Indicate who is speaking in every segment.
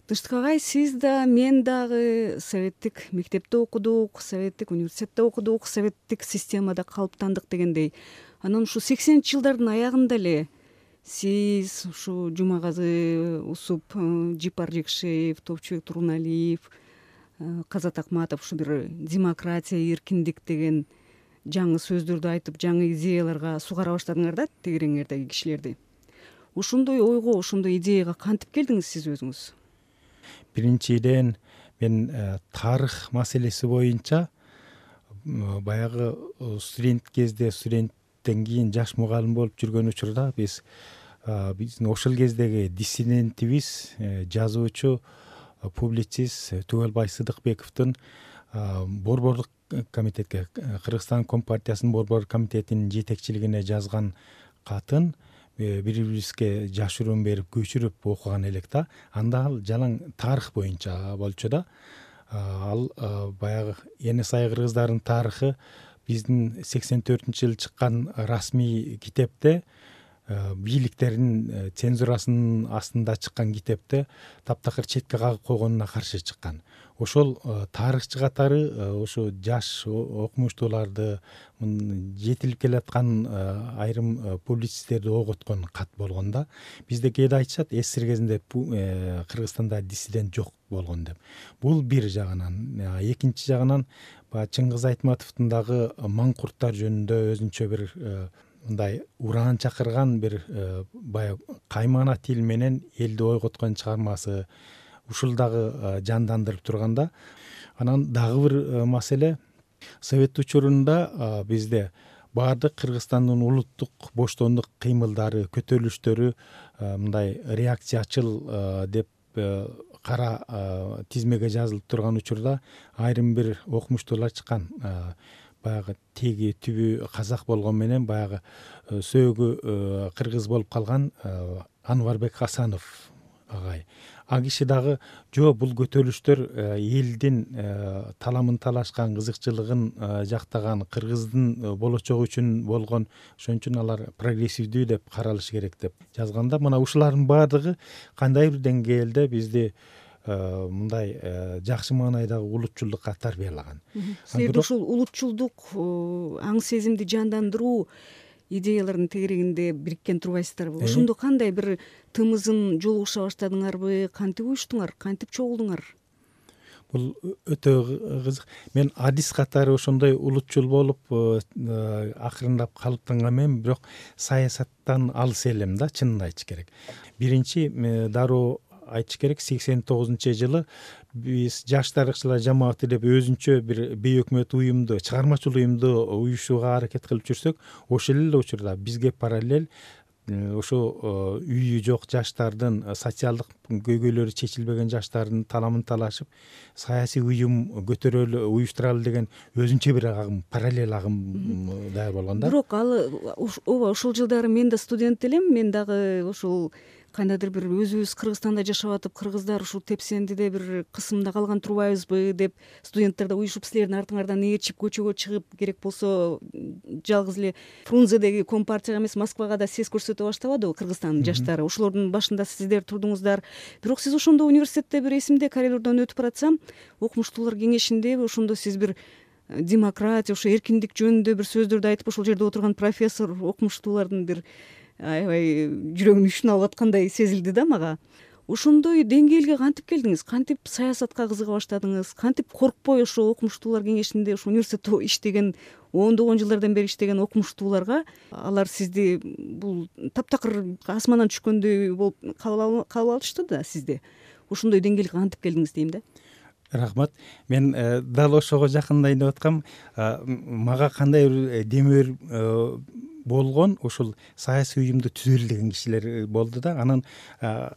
Speaker 1: Тынчтык агай, сиз да мен дагы советтик мектепте окудук, советтик университетте окудук, советтик системада калыптандык дегендей. Анан ушу 80-ч жылдардын аягында эле сиз, ушу Жумагазы Усуп, Жипар Жекшеев, Топчубек Туруналиев, Казат Акматов ушу бир демократия, эркиндик деген жаңы сөздөрдү айтып, жаңы идеяларга сугара баштадыңар да тегереңердеги кишилерди. Ошондой ойго, ошондой идеяга кантип келдиңиз сиз өзүңүз?
Speaker 2: Биринчиден мен тарых маселеси боюнча баягы студент кезде, студенттен кийин жаш мугалим болуп жүргөн учурда биздин ошол кездеги диссидентибиз, жазуучу, публицист Түгөлбай Сыдыкбековдун борбордук комитетке, Кыргызстан Компартиясынын борбор комитетинин жетекчилигине жазган катын бири-бирибизге жашыруун берип көчүрүп окуган элек да. Анда ал жалаң тарых боюнча болчу да. Ал баягы Эне Сай кыргыздардын тарыхы биздин 84-жылы чыккан расмий китепте, бийликтердин цензурасынын астында чыккан китепте таптакыр четке кагып койгонуна каршы чыккан. Ошол тарыхчы катары ошо жаш окумуштууларды, жетилип келаткан айрым публицисттерди оготкон кат болгон да. Бизде кээде айтышат, СССР кезинде Кыргызстанда диссидент жок болгон деп. Бул бир жагынан. Экинчи жагынан Чыңгыз Айтматовдун дагы Маңкурттар жөнүндө өзүнчө бир мындай ураан чакырган бир баягы каймана тил менен элди ойготкон чыгармасы ушул дагы жандандырып турганда. Анан дагы бир маселе, совет учурунда бизде баардык Кыргызстандын улуттук боштондук кыймылдары, көтөрүлүштөрү мындай реакциячыл деп кара тизмеге жазылып турган учурда айрым бир окумуштуулар чыккан. Баягы теги түбү казак болгон менен баягы сөөгү кыргыз болуп калган Анварбек Хасанов агай. А киши дагы жок, бул көтөрүлүштөр элдин таламын талашкан, кызыкчылыгын жактаган, кыргыздын болочогу үчүн болгон, ошон үчүн алар прогрессивдүү деп каралышы керек деп жазганда, мына ушулардын баардыгы кандайдыр деңгээлде бизди мындай жакшы маанайдагы улутчулдукка тарбиялаган.
Speaker 1: Силерде ушул улутчулдук аң сезимди жандандыруу идеялардын тегерегинде бириккен турбайсыздарбы? Ошондо кандай бир тымызын жолугуша баштадыңарбы? Кантип уюштуңар? Кантип чогулдуңар?
Speaker 2: Бул өтө кызык. Мен адис катары ошондой улутчул болуп акырындап калыптанган мен, бирок саясаттан алыс элем да, чынын айтыш керек. Биринчи дароо айтыш керек, 89-жылы биз жаш тарыхчылар жамааты деп өзүнчө бир бейөкмөт уюмду, чыгармачыл уюмду уюшууга аракет кылып жүрсөк, ошол эле учурда бизге параллель ошо үйү жок жаштардын, социалдык көйгөйлөрү чечилбеген жаштардын таламын талашып, саясий уюм көтөрөлү, уюштуралы деген өзүнчө бир агым, параллель агым даяр болгон да.
Speaker 1: Бирок ооба, ошол жылдары мен да студент элем, мен дагы ошол кандайдыр бир өзүбүз Кыргызстанда жашап атып, кыргыздар ушул тепсендиде бир кысымда калган турбайбызбы деп студенттер да уюшуп силердин артыңардан ээрчип көчөгө чыгып, керек болсо жалгыз эле Фрунзедеги компартияга эмес, Москвага да сес көрсөтө баштабадыбы Кыргызстандын жаштары? Ошолордун башында сиздер турдуңуздар. Бирок сиз ошондо университетте, бир эсимде, коридордон өтүп баратсам, окумуштуулар кеңешиндеби ошондо сиз бир демократия, ошо эркиндик жөнүндө бир сөздөрдү айтып, ошол жерде отурган профессор окумуштуулардын бир аябай жүрөгүнүн учун алып аткандай сезилди да мага. Ошондой деңгээлге кантип келдиңиз? Кантип саясатка кызыга баштадыңыз? Кантип коркпой ошо окумуштуулар кеңешинде, ошо университетте иштеген, ондогон жылдардан бери иштеген окумуштууларга алар сизди бул таптакыр асмандан түшкөндөй болуп кабыл алышты да сизди? Ошондой деңгээлге кантип келдиңиз дейм да.
Speaker 2: Рахмат. Мен дал ошого жакындайын деп аткам. Мага кандай бир демир болгон, ошол саясий уюмду түзөлү деген кишилер болду да. Анан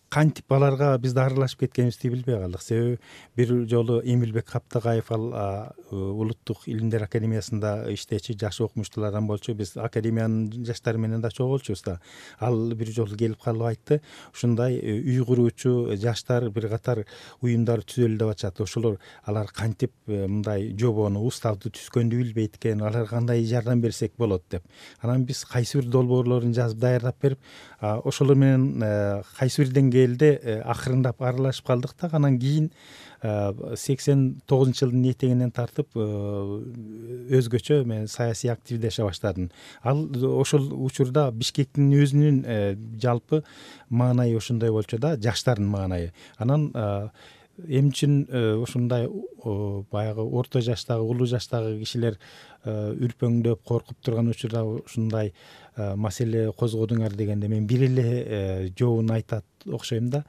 Speaker 2: кантип аларга биз аралашып кеткенибизди билбей калдык. Себеби бир жолу Эмилбек Каптагаев, ал Улуттук илимдер академиясында иштечи жаш окумуштуулардан болчу. Биз академиянын жаштары менен да чогулчубуз да. Ал бир жолу келип калып айтты, ушундай үй куруучу жаштар бир катар уюмдар түзөлү деп атышат. Ошолор алар кантип мындай жобону, уставды түзгөндү билбейт экен, аларга кандай жардам берсек болот деп. Анан биз биз кайсы бир долбоорлорун жазып даярдап берип, ошолор менен кайсы бир деңгээлде акырындап аралашып калдык да. Анан кийин 89-жылдын этегинен тартып өзгөчө мен саясий активдеше баштадым. Ал ошол учурда Бишкектин өзүнүн жалпы маанайы ошондой болчу да, жаштардын маанайы. Анан эмне үчүн ушундай баягы орто жаштагы, улуу жаштагы кишилер үрпөңдөп, коркуп турган учурда ушундай маселе козгодуңар дегенде мен бир эле жообун айтат окшойм да.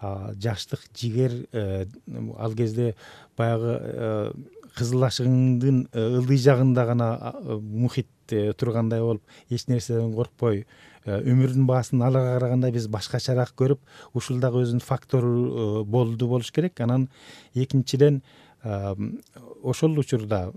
Speaker 2: Жаштык, жигер, ал кезде баягы кызыл ашыгыңдын ылдый жагында гана мухит тургандай болуп, эч нерседен коркпой, өмүрдүн баасын аларга караганда биз башкачараак көрүп, ушул дагы өзүнүн фактору болуш керек. Анан экинчиден ошол учурда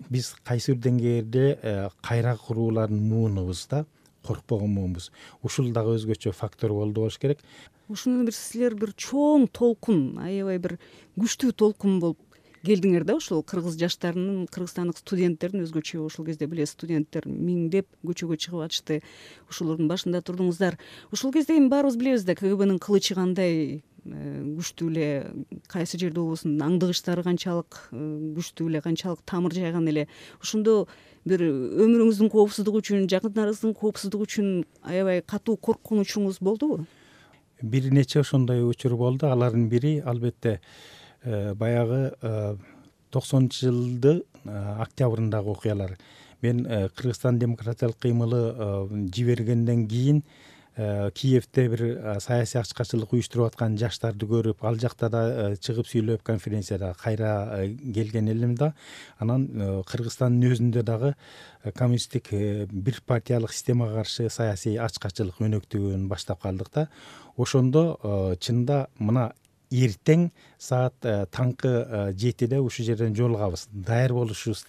Speaker 2: биз кайсы бир деңгээлде кайра куруулардын муунубуз да, коркпогон муунубуз. Ушул дагы өзгөчө фактор болуш керек.
Speaker 1: Ушуну силер бир чоң толкун, аябай бир күчтүү толкун болуп келдиңер да. Ошол кыргыз жаштарынын, кыргызстандык студенттердин, өзгөчө ошол кезде билесиз, студенттер миңдеп көчөгө чыгып атышты. Ошолордун башында турдуңуздар. Ошол кезде эми баарыбыз билебиз да, КГБнын кылычы кандай күчтүү эле, кайсы жерде болбосун аңдыгычтары канчалык күчтүү эле, канчалык тамыр жайган эле. Ошондо бир өмүрүңүздүн коопсуздугу үчүн, жакындарыңыздын коопсуздугу үчүн аябай катуу корккон учуруңуз болдубу?
Speaker 2: Бир нече ошондой учур болду. Алардын бири албетте баягы 90-жылдын октябрындагы окуялар. Мен Кыргызстан демократиялык кыймылы жибергенден кийин Киевде бир саясий ачкачылык уюштуруп аткан жаштарды көрүп, ал жакта да чыгып сүйлөп, конференцияда кайра келген элем да. Анан Кыргызстандын өзүндө дагы коммунисттик бир партиялык системага каршы саясий ачкачылык өнөктүгүн баштап калдык да. Ошондо чынында мына эртең саат таңкы 7-де ушул жерден жолугабыз, даяр болушубуз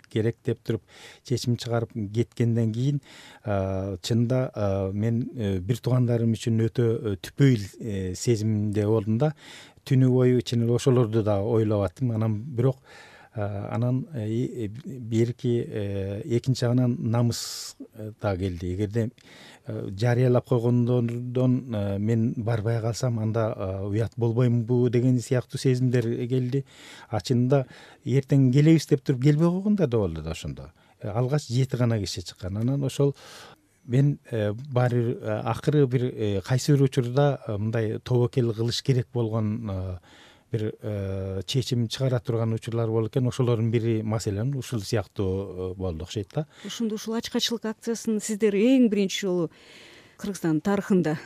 Speaker 2: керек деп туруп чечим чыгарып кеткенден кийин чынында мен бир туугандарым үчүн өтө түпөйүл сезимде болдум да. Түнү бою чын эле ошолорду да ойлоп аттым. Анан бирок анан экинчи жагынан намыс да келди. Эгерде жарыялап койгондон мен барбай калсам, анда уят болбоймунбу деген сыяктуу сезимдер келди. Чынында эртең келебиз деп туруп келбей койгондор да болду да ошондо. Алгач 7 гана киши чыккан. Анан ошол мен баары бир акыры бир кайсы бир учурда мындай тобокел кылыш керек болгон бир чечим чыгара турган учурлар болот экен. Ошолордун бири маселен ушул сыяктуу болду окшойт да.
Speaker 1: Ошондо ушул ачкачылык акциясын сиздер эң биринчи жолу Кыргызстандын тарыхында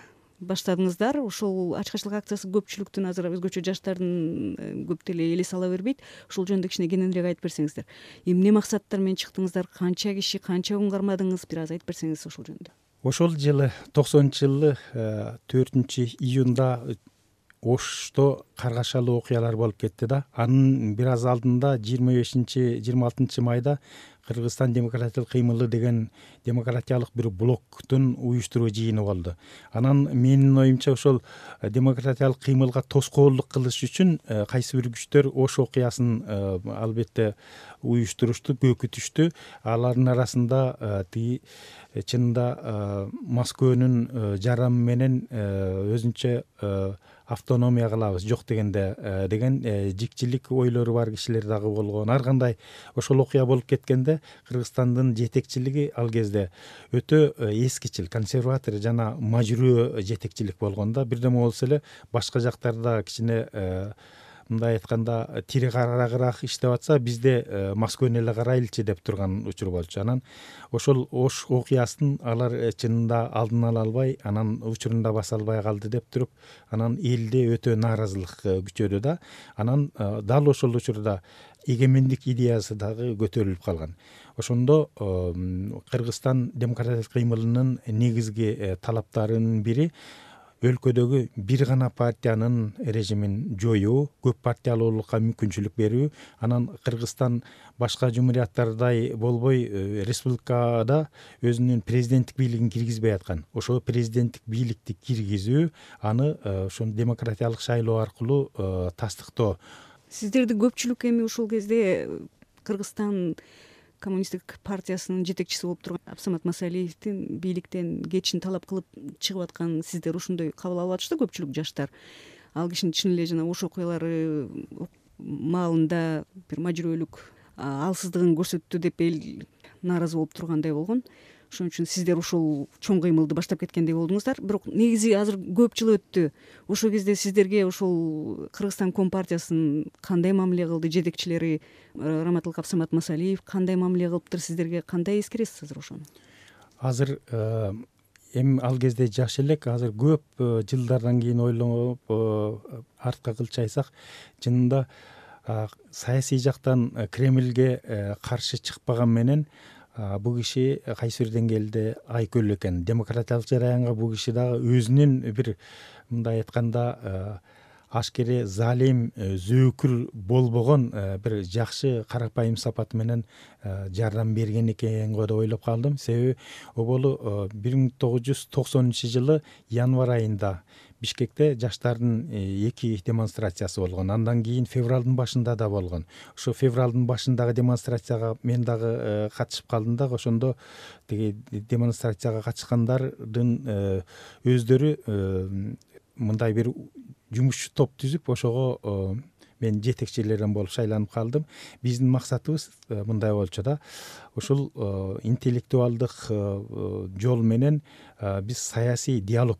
Speaker 1: баштадыңыздар. Ошол ачкачылык акциясы көпчүлүктүн, азыр өзгөчө жаштардын көп деле элес ала бербейт. Ошол жөнүндө кичине кененирээк айтып берсеңиздер. Эмне максаттар менен чыктыңыздар? Канча киши, канча күн кармадыңыз? Бир аз айтып берсеңиз ошол жөнүндө.
Speaker 2: Ошол жылы 90-жылы 4-июнда Ошто каргашалуу окуялар болуп кетти да. Анын бир аз алдында 25-26 майда Кыргызстан демократиялык кыймылы деген демократиялык бир блоктун уюштуруу жыйыны болду. Анан менин оюмча ошол демократиялык кыймылга тоскоолдук кылыш үчүн кайсы бир күчтөр Ош окуясын албетте уюштурушту, көкүтүштү. Алардын арасында тиги чынында Москвөнүн жараны менен өзүнчө автономия кылабыз, жок дегенде деген жикчилик ойлору бар кишилер дагы болгон. Ар кандай ошол окуя болуп кеткенде Кыргызстандын жетекчилиги ал кезде өтө эскичил, консерватор жана мажүрөө жетекчилик болгон да. Бирдеме болсо эле башка жактарда кичине мындай айтканда тири карагыраак иштеп атса, бизде Москваны эле карайлычы деп турган учур болчу. Анан ошол Ош окуясын алар чынында алдын ала албай, анан учурунда баса албай калды деп туруп, анан элде өтө нааразылык күчөдү да. Анан дал ошол учурда эгемендик идеясы дагы көтөрүлүп калган. Ошондо Кыргызстан демократиялык кыймылынын негизги талаптарынын бири өлкөдөгү бир гана партиянын режимин жоюу, көп партиялуулукка мүмкүнчүлүк берүү. Анан Кыргызстан башка жумурияттардай болбой, республикада өзүнүн президенттик бийлигин киргизбей аткан. Ошол президенттик бийликти киргизүү, аны ошол демократиялык шайлоо аркылуу тастыктоо.
Speaker 1: Сиздерди көпчүлүк эми ушул кезде Кыргызстан коммунисттик партиясынын жетекчиси болуп турган Абсамат Масалиевдин бийликтен кетишин талап кылып чыгып атканын сиздер ошондой кабыл алып атышты көпчүлүк жаштар. Ал кишинин чын эле жана ош окуялары маалында бир мажүрөлүк алсыздыгын көрсөттү деп эл нааразы болуп тургандай болгон. Ошон үчүн сиздер ушул чоң кыймылды баштап кеткендей болдуңуздар. Бирок негизи азыр көп жыл өттү. Ошол кезде сиздерге ушул Кыргызстан Компартиясынын кандай мамиле кылды, жетекчилери Раматылык Абсамат Масалиев кандай мамиле кылыптыр, сиздерге кандай эскересиз азыр ошону?
Speaker 2: Азыр эми ал кезде жаш элек, азыр көп жылдардан кийин ойлонуп артка кылчайсак, чынында саясий жактан Кремльге каршы чыкпаган менен бул киши кайсы бир деңгээлде айкөлүү экен. Демократиялык жараянга бул киши дагы өзүнүн бир мындай айтканда ашкере залим, зөөкүр болбогон бир жакшы карапайым сапаты менен жардам берген экен го деп ойлоп калдым. Себеби оболу 1990-жылы январь айында Бишкекте жаштардын 2 демонстрациясы болгон. Андан кийин февралдын башында да болгон. Ошо февралдын башындагы демонстрацияга мен дагы катышып калдым да, ошондо тиги демонстрацияга катышкандардын өздөрү мындай бир жумушчу топ түзүп, ошого мен жетекчилерден болуп шайланып калдым. Биздин максатыбыз мындай болчу да, ушул интеллектуалдык жол менен биз саясий диалог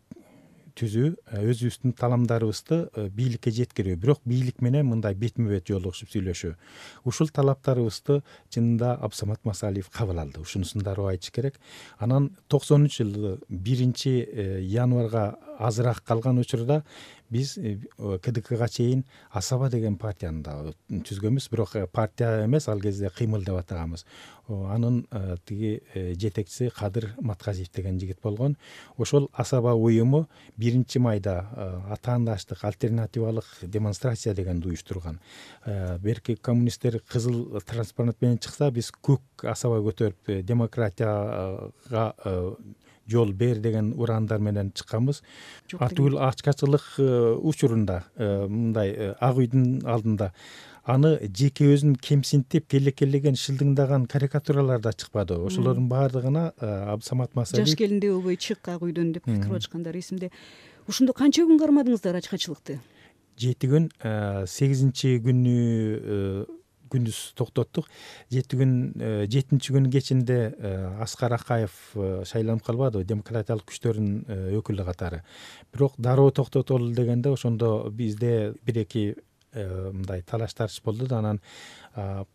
Speaker 2: түзүү, өзүбүздүн таламдарыбызды бийликке жеткирүү, бирок бийлик менен мындай бетме бет жолугушуп сүйлөшүү. Ушул талаптарыбызды чынында Абсамат Масалиев кабыл алды. Ушунусун дароо айтыш керек. Анан 90-жылы 1-январга азыраак калган учурда биз КДКга чейин Асаба деген партияны да түзгөнбүз, бирок партия эмес, ал кезде кыймыл деп атаганбыз. Анын тиги жетекчиси Кадыр Матказиев деген жигит болгон. Ошол Асаба уюму 1-майда атаандаштык альтернативалык демонстрация дегенди уюштурган. Берки коммунисттер кызыл транспарант менен чыкса, биз көк Асаба көтөрүп демократияга жол бер деген ураандар менен чыкканбыз. Атүгүл ачкачылык учурунда мындай Ак үйдүн алдында аны жеке өзүн кемсинтип келекелеген шылдыңдаган карикатуралар да чыкпады. Ошолордун баардыгына Абсамат Масалиев
Speaker 1: жаш келиндей болбой чык Ак үйдөн деп кирип атышкандар эсимде. Ошондо канча күн кармадыңыздар ачкачылыкты?
Speaker 2: 7 күн. 8-күнү күндүз токтоттук. 7-күн кечинде Аскар Акаев шайланып калбады демократиялык күчтөрдүн өкүлү катары. Бирок дароо токтотолу дегенде ошондо бизде 1-2 мындай талаш тартыш болду да, анан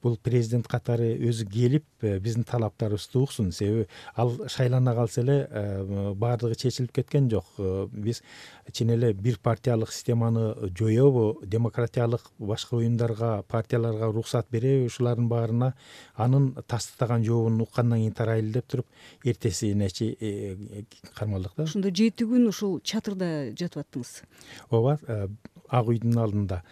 Speaker 2: бул президент катары өзү келип биздин талаптарыбызды уксун. Себеби ал шайлана калса эле баардыгы чечилип кеткен жок. Биз чын эле бир партиялык системаны жоёбу, демократиялык башка уюмдарга, партияларга уруксат береби, ушулардын баарына анын тастыктаган жообун уккандан кийин тарайлы деп туруп эртесинечи кармалдык да.
Speaker 1: Ошондо 7 күн ушул чатырда жатып аттыңыз?
Speaker 2: Ооба, Ак үйдүн алдында.